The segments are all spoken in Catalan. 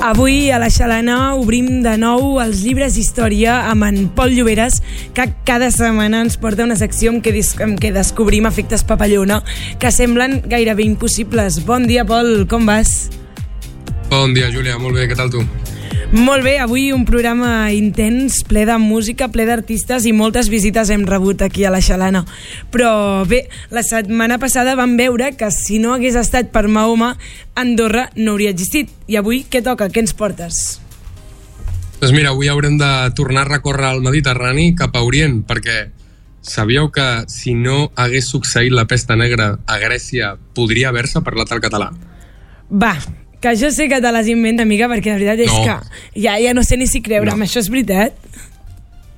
Avui a la Xalana obrim de nou els llibres d'història amb en Pol Lloberes, que cada setmana ens porta una secció en què descobrim efectes papallona que semblen gairebé impossibles. Bon dia, Pol, com vas? Bon dia, Júlia, molt bé, què tal tu? Molt bé, avui un programa intens, ple de música, ple d'artistes i moltes visites hem rebut aquí a la Xalana. Però bé, la setmana passada vam veure que si no hagués estat per Mahoma, Andorra no hauria existit. I avui què toca? Què ens portes? Doncs mira, avui haurem de tornar a recórrer el Mediterrani cap a Orient, perquè sabíeu que si no hagués succeït la pesta negra a Grècia podria haver-se parlat el català? Va, que jo sé que te les inventa, amiga, perquè la veritat és que ja no sé ni si creure'm. Això és veritat?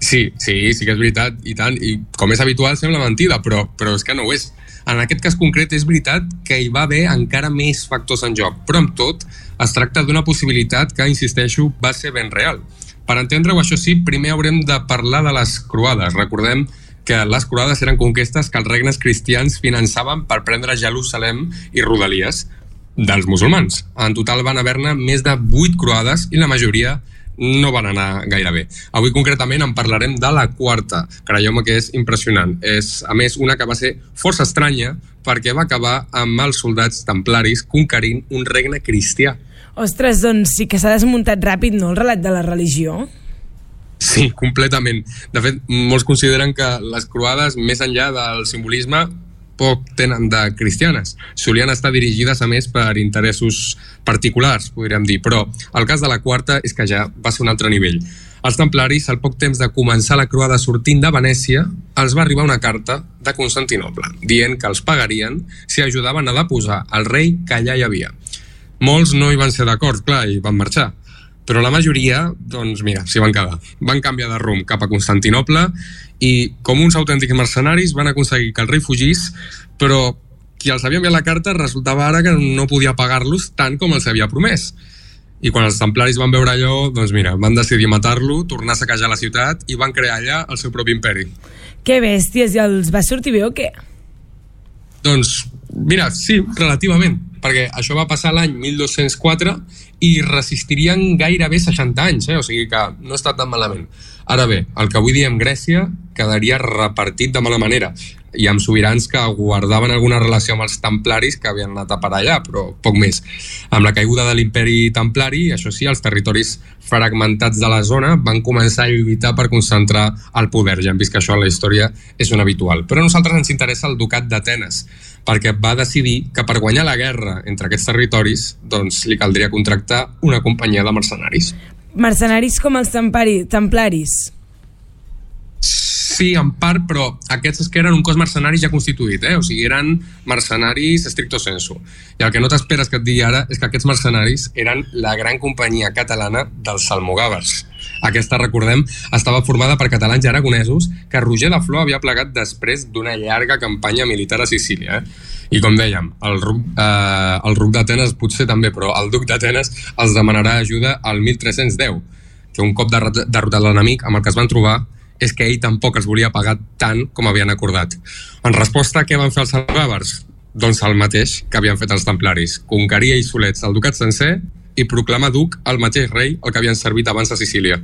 Sí que és veritat, i tant. I com és habitual sembla mentida, però és que no ho és. En aquest cas concret és veritat que hi va haver encara més factors en joc, però amb tot es tracta d'una possibilitat que, insisteixo, va ser ben real. Per entendre-ho, això sí, primer haurem de parlar de les croades. Recordem que les croades eren conquestes que els regnes cristians finançaven per prendre Jerusalem i rodalies dels musulmans. En total van haver-ne més de 8 croades i la majoria no van anar gaire bé. Avui concretament en parlarem de la quarta. Creieu-me que és impressionant. És, a més, una que va ser força estranya perquè va acabar amb els soldats templaris conquerint un regne cristià. Ostres, doncs sí que s'ha desmuntat ràpid, no, el relat de la religió? Sí, completament. De fet, molts consideren que les croades, més enllà del simbolisme, poc tenen de cristianes. Solien estar dirigides, a més, per interessos particulars, podríem dir, però el cas de la quarta és que ja va ser un altre nivell. Els templaris, al poc temps de començar la croada sortint de Venècia, els va arribar una carta de Constantinoble, dient que els pagarien si ajudaven a deposar el rei que allà hi havia. Molts no hi van ser d'acord, clar, i van marxar. Però la majoria, doncs mira, s'hi van quedar. Van canviar de rumb cap a Constantinople i, com uns autèntics mercenaris, van aconseguir que el rei fugís, però qui els havia enviat la carta resultava ara que no podia pagar-los tant com els havia promès. I quan els templaris van veure allò, doncs mira, van decidir matar-lo, tornar a saquejar la ciutat i van crear allà el seu propi imperi. Que bèsties, i els va sortir bé o què? Doncs, mira, sí, relativament, perquè això va passar l'any 1204 i resistirien gairebé 60 anys, o sigui que no està tan malament. Ara bé, el que avui diem Grècia quedaria repartit de mala manera, i amb sobirans que guardaven alguna relació amb els templaris que havien anat a parar allà, però poc més. Amb la caiguda de l'imperi templari, això sí, els territoris fragmentats de la zona van començar a lluitar per concentrar el poder. Ja hem vist que això a la història és un habitual. Però a nosaltres ens interessa el ducat d'Atenes, perquè va decidir que per guanyar la guerra entre aquests territoris doncs li caldria contractar una companyia de mercenaris. Mercenaris com els templaris? Sí, en part, però aquests és que eren un cos mercenari ja constituït, o sigui, eren mercenaris stricto sensu. I el que no t'esperes que et digui ara és que aquests mercenaris eren la gran companyia catalana dels almogàvers. Aquesta, recordem, estava formada per catalans i aragonesos que Roger de Flor havia plegat després d'una llarga campanya militar a Sicília. I com dèiem, el ruc d'Atenes potser també, però el duc d'Atenes els demanarà ajuda al 1310, que un cop derrotat l'enemic amb el que es van trobar és que ell tampoc els volia pagar tant com havien acordat. En resposta, què van fer els almogàvers? Doncs el mateix que havien fet els templaris. Conquerir ells solets el ducat sencer i proclamar duc el mateix rei el que havien servit abans a Sicília.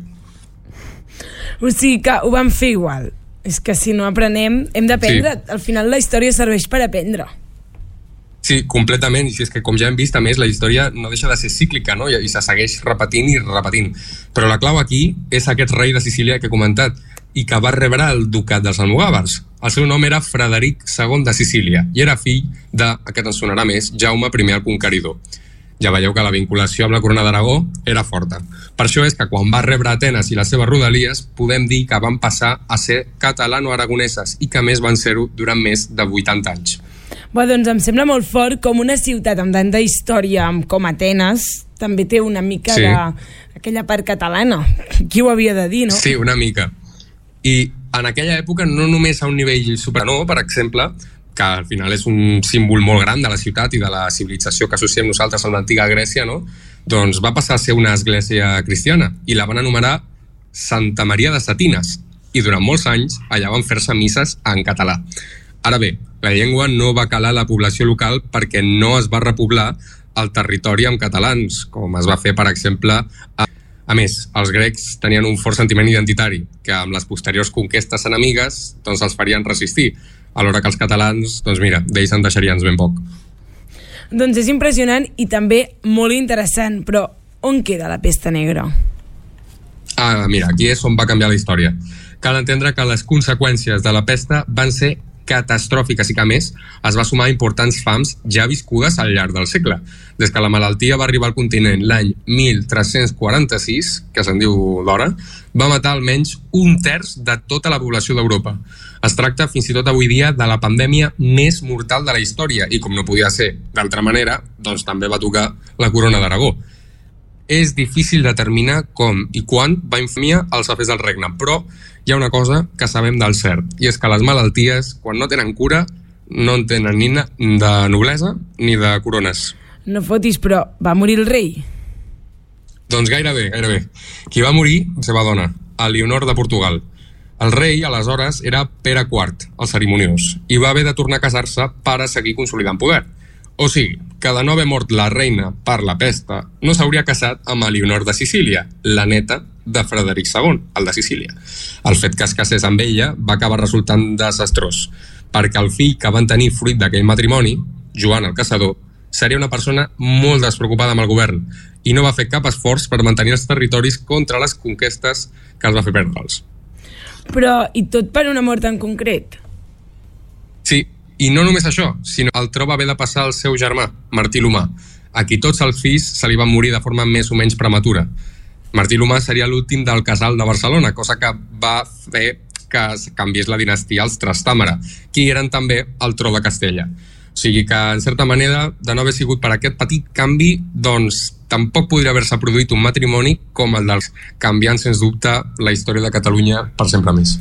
O sigui que ho van fer igual. És que si no aprenem, hem d'aprendre. Sí. Al final la història serveix per aprendre. Sí, completament. I si és que, com ja hem vist, a més, la història no deixa de ser cíclica, no? I se segueix repetint i repetint. Però la clau aquí és aquest rei de Sicília que he comentat i que va rebre el ducat dels almogàvers. El seu nom era Frederic II de Sicília i era fill de, aquest ens sonarà més, Jaume I el Conqueridor. Ja veieu que la vinculació amb la corona d'Aragó era forta. Per això és que quan va rebre Atenes i les seves rodalies, podem dir que van passar a ser catalano-aragoneses i que més van ser-ho durant més de 80 anys. Bé, doncs em sembla molt fort com una ciutat amb tanta història com Atenes també té una mica d'aquella part catalana. Qui ho havia de dir, no? Sí, una mica. I en aquella època, no només a un nivell superior, per exemple, que al final és un símbol molt gran de la ciutat i de la civilització que associem nosaltres amb l'antiga Grècia, no? Doncs va passar a ser una església cristiana i la van anomenar Santa Maria de Satines i durant molts anys allà van fer-se misses en català. Ara bé, la llengua no va calar a la població local perquè no es va repoblar el territori amb catalans, com es va fer, per exemple, a més, els grecs tenien un fort sentiment identitari, que amb les posteriors conquestes enemigues doncs els farien resistir, alhora que els catalans, doncs mira, d'ells en deixarien ben poc. Doncs és impressionant i també molt interessant, però on queda la pesta negra? Mira, aquí és on va canviar la història. Cal entendre que les conseqüències de la pesta van ser catastròfiques i que, a més, es va sumar a importants fams ja viscudes al llarg del segle. Des que la malaltia va arribar al continent l'any 1346, que se'n diu d'hora, va matar almenys 1/3 de tota la població d'Europa. Es tracta fins i tot avui dia de la pandèmia més mortal de la història i, com no podia ser d'altra manera, doncs també va tocar la corona d'Aragó. És difícil determinar com i quan va infamia els afers del regne, però hi ha una cosa que sabem del cert, i és que les malalties, quan no tenen cura, no en tenen ni de noblesa ni de corones. No fotis, però va morir el rei? Doncs gairebé. Qui va morir, la seva dona, Elionor de Portugal. El rei, aleshores, era Pere IV, el cerimoniós, i va haver de tornar a casar-se per a seguir consolidant poder. O sigui, que de no haver mort la reina per la pesta, no s'hauria casat amb Elionor de Sicília, la neta de Frederic II, el de Sicília. El fet que es casés amb ella va acabar resultant desastrós, perquè el fill que van tenir fruit d'aquell matrimoni, Joan el Caçador, seria una persona molt despreocupada amb el govern i no va fer cap esforç per mantenir els territoris contra les conquestes que els va fer perdre'ls. Però, i tot per una mort en concret? Sí, i no només això, sinó el tro va haver de passar al seu germà, Martí l'Humà, a qui tots els fills se li van morir de forma més o menys prematura. Martí l'Humà seria l'últim del casal de Barcelona, cosa que va fer que es canviés la dinastia als Trastàmara, qui eren també el tro de Castella. O sigui que, en certa manera, de no haver sigut per aquest petit canvi, doncs tampoc podria haver-se produït un matrimoni com el dels canviant, sens dubte, la història de Catalunya per sempre més.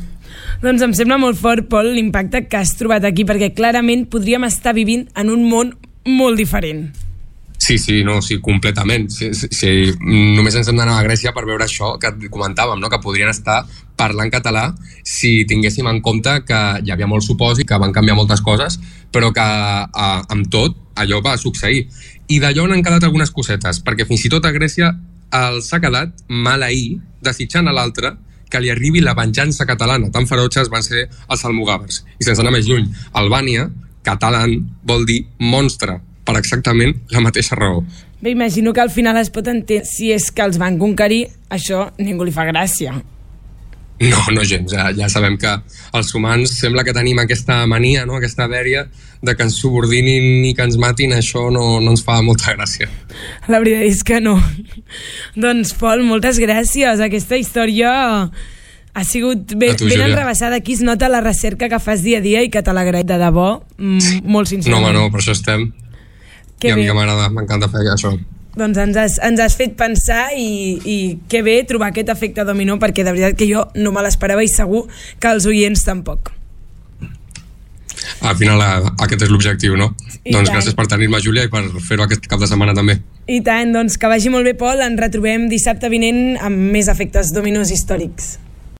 Doncs em sembla molt fort, Pol, l'impacte que has trobat aquí, perquè clarament podríem estar vivint en un món molt diferent. Sí, completament. Sí, només ens hem d'anar a Grècia per veure això que comentàvem, no? Que podrien estar parlant català si tinguéssim en compte que hi havia molt supòsit, que van canviar moltes coses, però que amb tot allò va succeir. I d'allò n'han quedat algunes cosetes, perquè fins i tot a Grècia els ha quedat maleir desitjant a l'altre que li arribi la venjança catalana. Tan ferotges van ser els almogàvers. I sense anar més lluny, Albània, catalán, vol dir monstre, per exactament la mateixa raó. Bé, imagino que al final es pot entendre si és que els van conquerir, això ningú li fa gràcia. No gens, ja sabem que els humans sembla que tenim aquesta mania, no? Aquesta dèria de que ens subordinin i que ens matin, això no ens fa molta gràcia. La veritat és que no. Doncs, Pol, moltes gràcies. Aquesta història ha sigut ben enrabassada. Aquí es nota la recerca que fas dia a dia i que te l'agraït de debò, molt sincerament. No, per això estem. I a mi que m'agrada, m'encanta fer això. Doncs ens has fet pensar i que bé trobar aquest efecte dominó, perquè de veritat que jo no me l'esperava i segur que els oients tampoc. Al final aquest és l'objectiu, no? Doncs gràcies per tenir-me, Júlia, i per fer-ho aquest cap de setmana també. I tant, doncs que vagi molt bé, Pol. Ens retrobem dissabte vinent amb més efectes dominós històrics.